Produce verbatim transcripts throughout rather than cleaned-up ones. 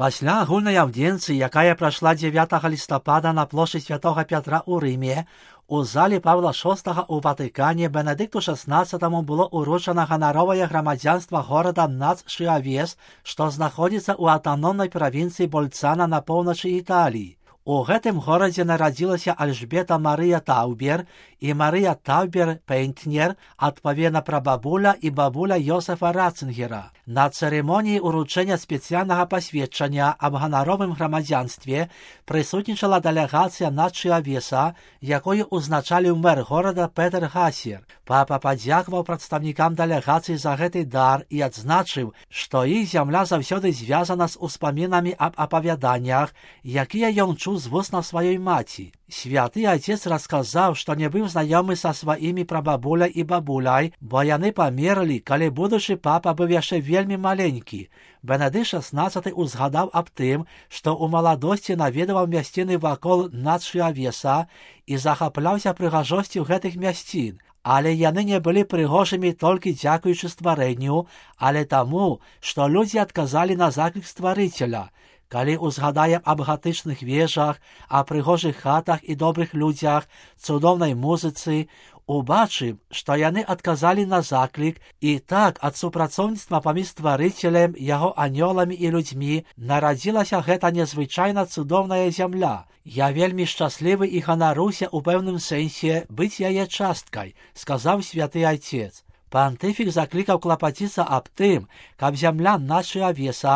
Пасля агульнай аўдзенцыі, якая прайшла дзевятага лістапада на плошчы святога Пятра ў Рыме, у залі Павла шостага ў Ватыкане Бенедыкту шаснаццатаму было уручана ганаровае грамадзянства горада Нац-Шыавес, што знаходзіцца ў аўтаномнай правінцыі Больцана на поўначы Італіі. У гэтым горадзе нарадзілася Альжбета Марыя Таубер і Марыя Таубер Пейнтнер, адпаведна прабабуля і бабуля Йосефа Ратцингера. На цырымоніі ўручэння спецыяльнага пасведчання аб ганаровым грамадзянстве прысутнічала дэлегацыя Нац-Шыавеса, якую ўзначаліў мэр горада Петер Гасер. Папа падзякаваў прадстаўнікам дэлегацыі за гэты дар і адзначыў, што іх зямля заўсёды звязана з успамінамі аб апавяданнях, якія ён чуў з вуснаў сваёй маці. Святы Отец расказаў, што не быў знаёмы са сваімі прабабуляй і бабуляй, бо яны памерлі, калі будучы папа быў яшчэ вельмі маленькі. Бенедыкт шаснаццаты узгадаў аб тым, што ў маладосці наведаваў мясціны вакол Нац-Шыавеса і захапляўся прыгажосцю гэтых мясцін. Але яны не былі прыгожымі толькі дзякуючы стварэнню, але таму, што людзі адказалі на заклік стварыцеля. Калі ўзгадаем аб гатычных вежах, аб прыгожых хатах і добрых людзях, цудоўнай музыцы, убачым, што яны адказалі на заклік, і так ад супрацоўніцтва паміж стварыцелем, яго анёламі і людзьмі нарадзілася гэта незвычайна цудоўная зямля. Я вельмі шчаслівы і ганаруся ў пэўным сэнсе быць яе часткай, сказаў святы Отец. Пантыфік заклікаў клапаціцца аб тым, каб зямля Нац-Шыавеса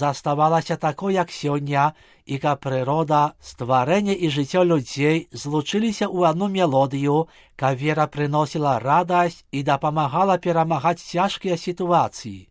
заставалася такой, як сёння, і каб прырода, стварэнне і жыццё людзей злучыліся ў адну мелодыю, каб вера прыносіла радасць і дапамагала перамагаць цяжкія сітуацыі.